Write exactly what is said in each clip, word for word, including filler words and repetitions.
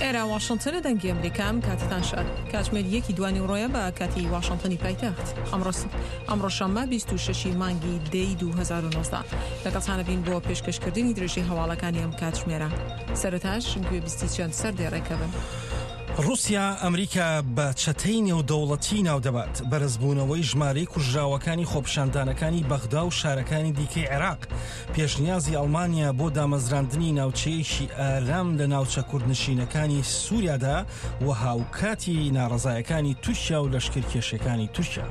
ئێرە واشنتنە، دەنگی ئەمریکا. ئەم کاتتان شاد. کاتژمێر یەکی دوانی ڕۆیە بە کاتی واشنتنی پایتەخت. ئەمڕۆ شەممە بیست و شەش مانگی دەی دوو هەزار و نۆزدە. لەگەڵتانە بین بۆ پێشکەشکردنی درێژەی هەواڵەکانی ئەم کاتژمێرە. سەرەتاش گوێبیستی چەند سەردێڕێکە بن. ڕوسیا ئەمریکا بە چەتەی نێودەوڵەتی ناودەبات. بەرزبوونەوەی ژمارەی کوژراوەکانی خۆپیشاندانەکانی بەغدا و شارەکانی دیکەی عێراق. پێشنیازی ئەڵمانیا بۆ دامەزراندنی ناوچەیەکی ئارام لە ناوچە کوردنشینەکانی سووریادا و هاوکاتی ناڕەزایەکانی تورکیا و لەشکرکێشەکانی تورکیا.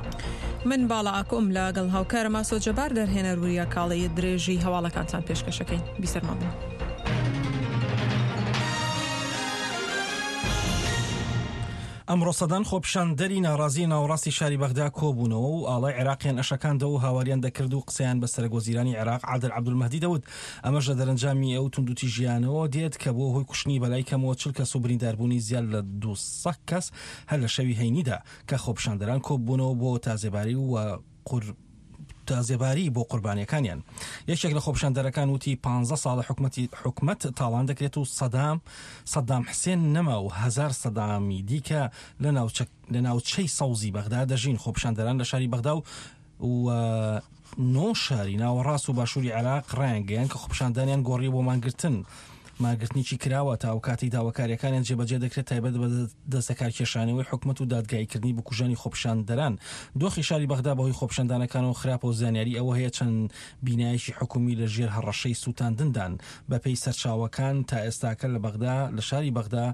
من باڵا ئاکۆم لەگەڵ هاوکارم ئاسۆ جەبار دەرهێنەر وریا کاڵی درێژی هەواڵەکانتان پێشکەشەکەین. بیسەرمان بن. ئەمڕۆ سەدان خۆپیشاندەری ناڕازی ناوەڕاستی شاری بەغدا کۆبوونەوە و ئاڵای عێراقیان ئەشەکاندەوە و هاواریان دەکرد و قسەیان بە سەرۆکوەزیرانی عێراق عادل عەبدولمەهدی دەوت. ئەمەش لە دەرەنجامی ئەو توندوتیژیانەوە دێت کە بووە هۆی کوشتنی بەلای کەمەوە چل کەس و برینداربوونی زیاد لە دوو سەد کەس هەر لە شەوی هەینیدا کە خۆپیشاندەران کۆبوونەوە بۆ تازێباری و قور تازێباری بۆ قوربانیەکانیان. یەکێک لە خۆپیشاندەرەکان وتی پانزە ساڵە حکومەتی حکومەت تاڵان دەکرێت و سەدام سەدام حسێن نەما و هەزار سەدامی دیکە لە ناوچەی سەوزی بەغدا دەژین. خۆپیشاندەران لە شاری بەغدا و و نۆ شاری ناوەڕاست و باشووری عێراق ڕایانگەیان کە خۆپیشاندانیان گۆڕی بۆ مانگرتن. مانگرتنێکی کراوە تا ئەو کاتەی داواکاریەکانیان جێبەجێ دەکرێت، تایبەت بە دەستەکارکێشانەوەی حکومەت و دادگاییکردنی بکوژانی خۆپیشاندەران. دۆخی شاری بەغدا بەهۆی خۆپیشاندانەکانەوە خراپە و زانیاری ئەوە هەیە چەند بینایەکی حکومی لە ژێر هەڕەشەی سووتاندندان. بەپێی سەرچاوەکان تا ئێستاکە لە بەغدا لە شاری بەغدا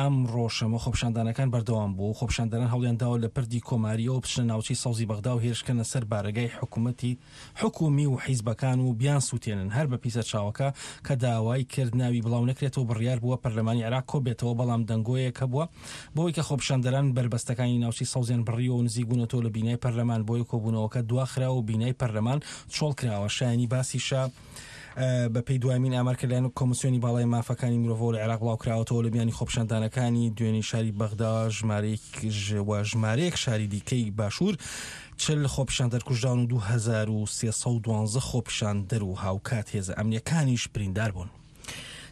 ئەمڕۆ شەمە خۆپیشاندانەکان بەردەوام بوو. خۆپیشاندەران هەوڵیان داوە لە پردی کۆماریەوە بچنە ناوچەی سەوزی بەغدا و هێرشکەنە سەر بارەگای حکوومەتی حکومی و حیزبەکان و بیان سووتێنن. هەر بەپێی سەرچاوەکە کە داوای کرد ناوی بڵاو نەکرێتەوە بڕیار بووە پەرلەمانی عێراق کۆبێتەوە، بەڵام دەنگۆیەک هەبووە بۆی کە خۆپیشاندەران بەربەستەکانی ناوچەی سەوزیان بڕیوە و نزیک بوونەتەوە لە بینای پەرلەمان، بۆیە کۆبوونەوەکە دواخراوە و بینای پەرلەمان چۆڵ کراوە. شایانی باسیشە بە پێی دوایین ئامار کە لایەن کۆمیسیۆنی باڵای مافەکانی مرۆڤەوە لە عێراق بڵاو کراوەتەوە لە میانی خۆپیشاندانەکانی دوێنێ شاری بەغدا ژمارەیەک و ژمارەیەک شاری دیکەی باشوور چل خۆپیشاندەر کوژراون و دوو هەزار و سێ سەد و دوانزە خۆپیشاندەر و هاوکات هێزە ئەمنیەکانیش بریندار بوون.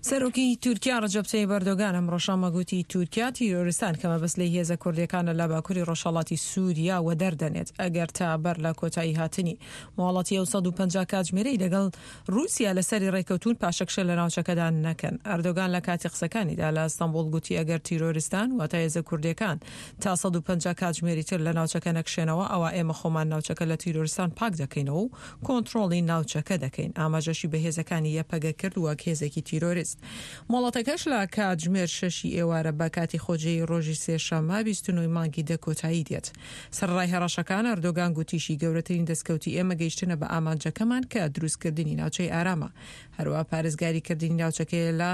سەرۆکی تورکیا ڕەجەب تەیب ئەردۆگان ئەمڕۆ شەممە گوتی تورکیا تیرۆریستان کە مەبەست لێی هێزە کوردیەکانە لە باکووری ڕۆژهەڵاتی سووریا وەدەردەنێت ئەگەر تا بەر لە کۆتایی هاتنی مۆڵەتی ئەو سەد و پەنجا کاتژمێرەی لەگەڵ رووسیا لەسەری ڕێکەوتون پاشەکشە لە ناوچەکەدا نەکەن. ئەردۆگان لە کاتی قسەکانیدا لە ئەستەنبوڵ گوتی ئەگەر تیرۆریستان واتە هێزە کوردیەکان تا سەد و پەنجا کاتژمێری تر لە ناوچەکە نەکشێنەوە ئەوە ئێمە خۆمان ناوچەکە لە تیرۆریستان پاک دەکەینەوە و کۆنترۆڵی ناوچەکە دەکەین. ئاماژەشی بە هێزەکانی یەپەگە کرد وەک هێزێکی تیرۆریست. مۆڵەتەکەش لە کاتژمێر شەشی ئێوارە بە کاتی خۆجێی ڕۆژی سێشەممە بیست و نۆ مانگی دە کۆتایی دێت. سەرەڕای هەڕەشەکان ئەردۆگان گوتیشی گەورەترین دەستکەوتی ئێمە گەیشتنە بە ئامانجەکەمان کە دروستکردنی ناوچەی ئارامە، هەروە پارێزگاریکردنی ناوچەکەیە لە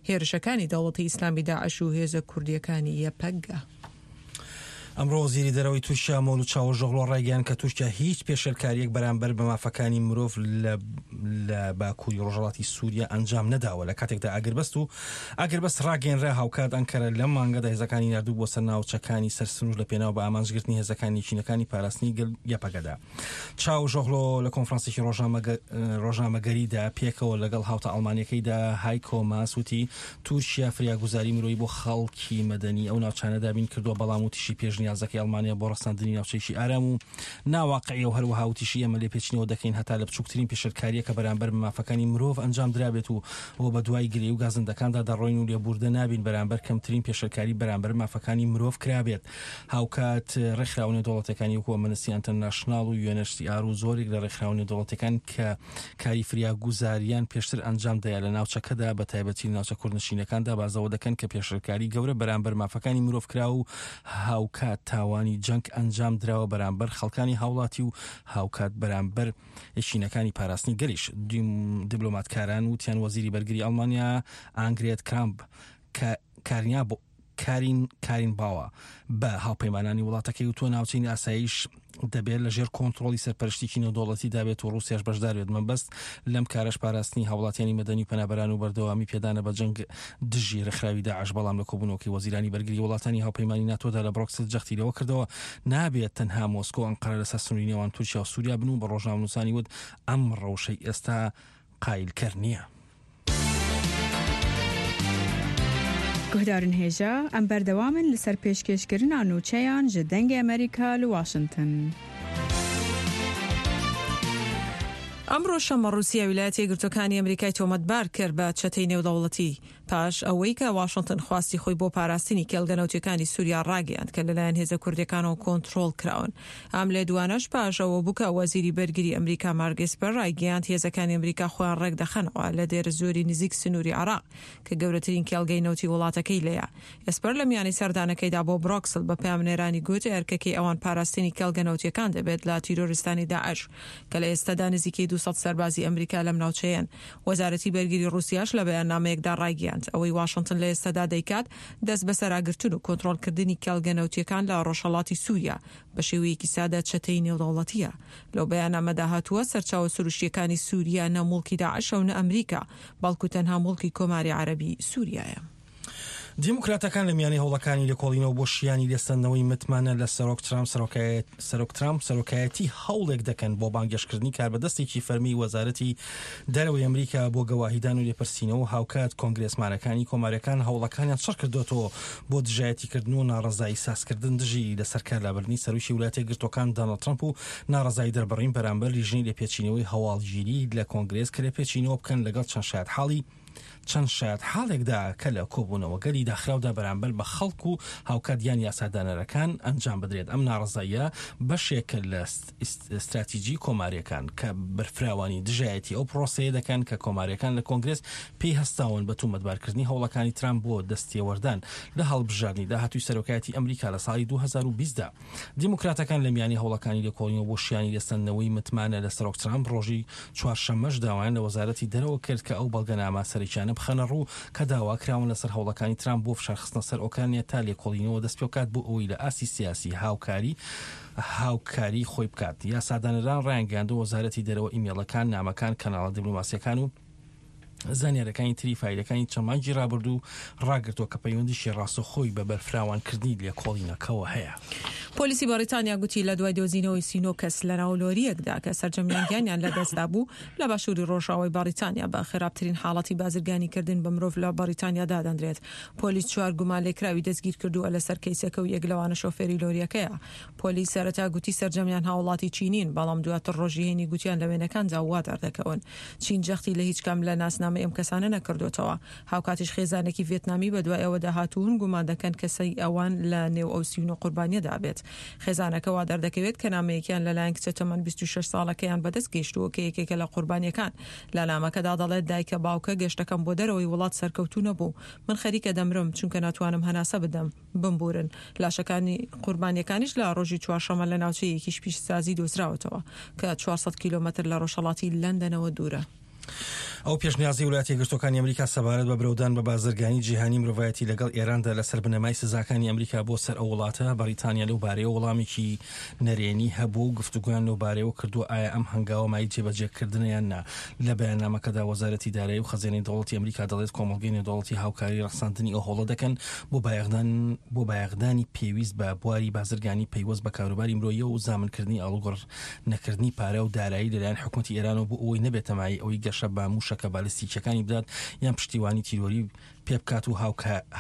هێرشەکانی دەوڵەتی ئیسلامی داعش و هێزە کوردیەکانی یەپەگە. ئەمڕۆ وەزیری دەرەوەی تورکیا مەولود چاوشئۆغلۆ ڕایگەیاند کە تورکیا هیچ پێشێلکاریەک بەرامبەر بە مافەکانی مرۆڤ لە باکووری ڕۆژهەڵاتی سووریا ئەنجام نەداوە لە کاتێکدا ئاگربەست و ئاگربەست ڕاگەیەنرا. هاوکات ئەنکەرە لەم مانگەدا هێزەکانی ناردوو بۆ سەر ناوچەکانی سەر سنوور لە پێناو بە ئامانجگرتنی هێزەکانی چینەکانی پاراستنی گەل یەپەگەدا. چاوشئۆغلۆ لە کۆنفرانسێکی ڕۆژنامەگەریدا پێکەوە لەگەڵ هاوتا ئەڵمانیەکەیدا هایکۆ ماس وتی تورکیا فریاگوزاری مرۆیی بۆ خەڵکی مەدەنی ئەو ناوچانە دابین کردووە، بەڵام وتیشی پێشنیازەکەی ئەڵمانیا بۆ ڕەساندنی ناوچەیەکی ئارام و ناواقعیە و هەروەها وتیشی ئێمە لێپێچینەوە دەکەین هەتا لە بچووکترین پێشێلکاریە کە بەرامبەر بە مافەکانی مرۆڤ ئەنجام درابێت و بۆ بە دوای گرێ و گازندەکاندا دەڕۆین و لێبوردە نابین بەرامبەر کەمترین پێشێلکاری بەرامبەر مافەکانی مرۆڤ کرابێت. هاوکات ڕێکخراوە نێودەوڵەتیەکانی وەکو ئەمنستی ئینتەرناشناڵ و یوئێن ئێچ سی ئار و زۆرێک لە ڕێکخراوە نێودەوڵەتیەکان کە کاری فریاگوزاریان پێشتر ئەنجام دایە لە ناوچەکەدا بە تایبەتی لە ناوچە کوردنشینەکاندا بازەوە دەکەن کە پێشێلکاری گەورە بەرامبەر مافەکانی مرۆڤ کرا و هاوکات تاوانی جەنگ ئەنجام دراوە بەرامبەر خەڵکانی هاوڵاتی و هاوکات بەرامبەر یەکینەکانی پاراستنی گەلیش. دیبلۆماتکاران وتیان وەزیری بەرگری ئەڵمانیا ئانگرێت کرامپ کە کارنیا بۆ کارین کارین باوە بە هاوپەیمانانی وڵاتەکەی و تۆ ناوچەی ئاسایش دەبێت لە ژێر کۆنترۆڵی سەرپەرشتێکی نێودەوڵەتی دابێت و ڕووسیاش بەشدار بێت. مەبەست لەم کارەش پاراستنی هاوڵاتیانی مەدەنی و پەنابەران و بەردەوامی پێدانە بە جەنگ دژی ڕێکخراوی داعش. بەڵام لە کۆبوونەوەکەی وەزیرانی بەرگری وڵاتانی هاوپەیمانی ناتۆدا لە برۆکسل جەختی لەوە کردەوە نابێت تەنها مۆسکۆ ئەنقەرە لەسەر سنووری نێوان تورکیا و سووریا بن و بە ڕۆژنامەنووسانی وت ئەم ڕەوشەی ئێستا قایلکەر نییە. Guhdarên hêja em berdewam in li ser pêşkêşkirina nûçeyan ji Dengê Amerîka li Washington. ئەمڕۆ شەممە ڕووسیا ویلایەتە یەکگرتووەکانی ئەمریکای تۆمەتبار کرد بە چەتەی نێودەوڵەتی پاش ئەوەی کە واشنتن خواستی خۆی بۆ پاراستنی کێڵگە نەوتیەکانی سووریا ڕاگەیاند کە لەلایەن هێزە کوردیەکانەوە کۆنترۆڵ کراون. ئەم لێدوانەش پاش ئەوە بوو کە وەزیری بەرگری ئەمریکا مارک ئێسپەر ڕایگەیاند هێزەکانی ئەمریکا خۆیان ڕێکدەخەنەوە لە دێرەزۆری نزیک سنووری عێراق کە گەورەترین کێڵگەی نەوتی وڵاتەکەی لێیە. ئێسپەر لە میانی سەردانەکەیدا بۆ برۆکسل بە پەیامنێرانی گوت ئەرکەکەی ئەوان پاراستنی کێڵگە نەوتیەکان دەبێت لە تیرۆریستانی داعش کە لە ئێستادا نزیکەی دوو سەد سەربازی ئەمریکا لەم ناوچەیەن. وەزارەتی بەرگری ڕووسیاش لە بەیاننامەیەکدا ڕایگەیاند ئەوەی واشنتن لە ئێستادا دەیکات دەست بەسەراگرتن و کۆنترۆڵکردنی کێڵگە نەوتیەکان لە ڕۆژهەڵاتی سووریا بە شێوەیەکی سادە چەتەی نێودەوڵەتیە. لەو بەیاننامەدا هاتووە سەرچاوە سروشتیەکانی سووریا نە موڵکی داعشە و نە ئەمریکا، بەڵکو تەنها موڵکی کۆماری عەرەبی سووریایە. دیموکراتەکان لە میانەی هەوڵەکانی لێکۆڵینەوە بۆ شیانی لێسەندنەوەی متمانە لە سەرۆک ترامپ سەرۆک ترامپ سەرۆکایەتی هەوڵێک دەکەن بۆ بانگێشتکردنی کاربەدەستێکی فەرمی وەزارەتی دەرەوەی ئەمریکا بۆ گەواهیدان و لێپرسینەوە. هاوکات کۆنگرێسمانەکانی کۆماریەکان هەوڵەکانیان چڕ کردوێتەوە بۆ دژایەتیکردن و ناڕەزایی سازکردن دژی لەسەر کارلابردنی سەرۆکی ویلایەتە یەکگرتووەکان دۆناڵد ترامپ و ناڕەزایی دەربڕین بەرامبەر لیژنەی لێپێچینەوەی هەواڵگیری لە کۆنگرێس کە لێپێچینەوە بکەن لەگەڵ چەند شایەتحاڵی چەند شایەت حاڵێکدا کە لە کۆبوونەوەگەلی داخراودا بەرامبەر بە خەڵک و هاوکات یان یاسادانەرەکان ئەنجام بدرێت. ئەم ناڕەزاییە بەشێکە لە استراتیژی کۆماریەکان کە بەرفراوانی دژایەتی ئەو پرۆسەیە دەکەن کە کۆماریەکان لە کۆنگرێس پێی هەستاون بە تۆمەتبارکردنی هەوڵەکانی ترامپ بۆ دەستێوەردان لە هەڵبژاردنی داهاتووی سەرۆکایەتی ئەمریکا لە ساڵی دوو هەزار و بیست دا. دیموکراتەکان لە میانی هەوڵەکانی لێکۆڵینەوە بۆ شیانی لێسەندنەوەی متمانە لە سەرۆک ترامپ ڕۆژی چوارشەممەش داوایان لە وەزارەتی دەرەوە کرد کە ئەو بەڵگەنامە سەرەکیانە بخەنە ڕوو کە داواکراون لەسەر هەوڵەکانی ترامپ بۆ فشارخستنە سەر ئۆکرانیا تا لێکۆڵینەوە دەست پێ بکات بۆ ئەوەی لە ئاستی سیاسی هاوکاری هاوکاری خۆی بکات. یاسادانەران ڕایانگەیاندووە وەزارەتی دەرەوە ئیمێڵەکان، نامەکان، کەناڵە دیپلۆماسیەکان و زانیاریەکانی تری فایلەکانی چەند مانگی ڕابردوو ڕاگرتووە کە پەیوەندیشی ڕاستەوخۆی بە بەرفراوانکردنی لێکۆڵینەکەوە هەیە. پۆلیسی بەریتانیا گوتی لە دوای دۆزینەوەی سی و نۆ کەس لە ناو لۆریەکدا کە سەرجەمیان گیانیان لەدەستدا بوو لە باشووری ڕۆژاوای بەریتانیا بە خراپترین حاڵەتی بازرگانیکردن بە مرۆڤ لە بەریتانیا دادەنرێت. پۆلیس چوار گومان لێکراوی دەستگیر کردووە لەسەر کەیسەکە و یەک لەوانە شۆفێری لۆریەکەیە. پۆلیس سەرەتا گوتی سەرجەمیان هاوڵاتی چینین، بەڵام دواتر ڕۆژی هەینی گوتیان لە وێنەکاندا وا دەردەکەون. چین جەختی لە هیچ کام لە ناسنامەی ئەم کەسانە نەکردوێتەوە. هاوکاتیش خێزانێکی ڤێتنامی بەدوای ئەوەدا هاتوون گومان دەکەن کەسەی ئەوان لە نێو ئەو سی و نۆ قوربانیەدا بێت. خێزانەکە وا دەردەکەوێت کە نامەیەکیان لەلایەن کچە تەمەن بیست و شەش ساڵەکەیان بەدەست گەیشتووە کە یەکێکە لە قوربانیەکان. لە نامەکەدا دەڵێت دایکە باوکە گەشتەکەم بۆ دەرەوەی وڵات سەرکەوتوو نەبوو، من خەریکە دەمرم چونکە ناتوانم هەناسە بدەم، بمبورن. لاشەکانی قوربانیەکانیش لە ڕۆژی چوارشەممە لە ناوچەیەکیش پیشسازی دۆزراوەتەوە کە چوار سەد کیلۆمەتر لە ڕۆژهەڵاتی لەندەنەوە دوورە. ئەو پێشنیازی ویلایەتە یەکگرتووەکانی ئەمریکا سەبارەت بە برەودان بە بازرگانی جیهانی مرۆڤایەتی لەگەڵ ئێراندا لەسەر بنەمای سزاکانی ئەمریکا بۆ سەر ئەو وڵاتە، بەریتانیا لەو بارەیەوە وەڵامێکی نەرێنی هەبوو و گفتوگۆیان لەو بارەیەوە کردووە ئایا ئەم هەنگاوە مای جێبەجێکردنە یان نا. لە بەیاننامەکەدا وەزارەتی دارایی و خەزێنەی دەوڵەتی ئەمریکا دەڵێت کۆمەڵگەی نێودەوڵەتی هاوکاری ڕەخساندنی ئەو هەوڵە دەکەن بۆ بایەخدان بۆ بایەخدانی پێویست بە بواری بازرگانی پەیوەست بە کاروباری مرۆیی و زامنکردنی ئاڵوگۆڕ نەکردنی پارە و دارایی لەلایەن حکوومەتی ئێرانەوە بۆ ئەوەی نەبێتە مایەی ئەوەی گەشە بە مووشەکە بالستیکیەکانی بدات یان پشتیوانی تیرۆری پێ بکات و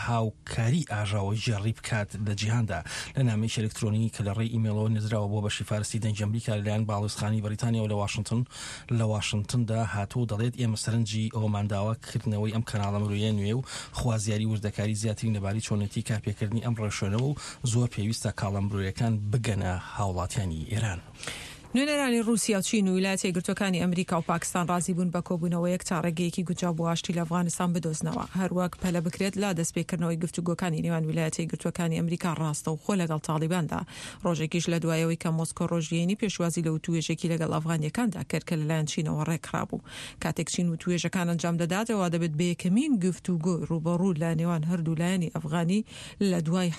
هاوکاری ئاژاوەگێڕی بکات لە جیهاندا. لە نامەیەکی ئەلکترۆنی کە لە ڕێی ئیمێڵەوە نێردراوە بۆ بەشی فارسی دەنگی ئەمریکا لەلایەن باڵیۆزخانەی بەریتانیاوە لە واشنتن لە واشنتندا هاتووە و دەڵێت ئێمە سەرنجی ئەوەمان داوە کردنەوەی ئەم کەناڵە مرۆیە نوێ و خوازیاری وردەکاری زیاترین لەبارەی چۆنێتی کارپێکردنی ئەم ڕێوشوێنەوە و زۆر پێویستە کاڵا مرۆیەکان بگەنە هاوڵاتیانی ئێران. نوێنەرانی ڕووسیا و چین و ویلایەتە یەکگرتووەکانی ئەمریکا و پاکستان ڕازی بوون بە کۆبوونەوەیەک تا ڕێگەیەکی گونجاو بۆ ئاشتی لە ئەفغانستان بدۆزنەوە، هەروەک پەلە بکرێت لە دەستپێکردنەوەی گفتوگۆکانی نێوان ویلایەتە یەکگرتووەکانی ئەمریکا ڕاستەوخۆ لەگەڵ تاڵیباندا. ڕۆژێکیش لە دوایەوەی کە مۆسکۆ ڕۆژی هەینی پێشوازی لە وتوێژێکی لەگەڵ ئەفغانیەکاندا کرد کە لەلایەن چینەوە ڕێکخرابوو. کاتێک چین وتوێژەکان ئەنجام دەدات ئەوە دەبێت بە یەکەمین گفتوگۆی ڕووبەڕوو لە نێوان هەردوو لایەنی ئەفغانی لە دوای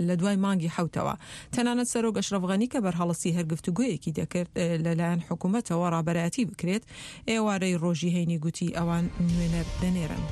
لە دوای مانگی حەوتەوە. تەنانەت سەرۆک ئەشرەف غەنی کە بەرهەڵستی هەر گفتوگۆیەکی دەکرد لەلایەن حکوومەتەوە ڕابەرایەتی بکرێت، ئێوارەی ڕۆژی هەینی گوتی ئەوان نوێنەر دەنێرن.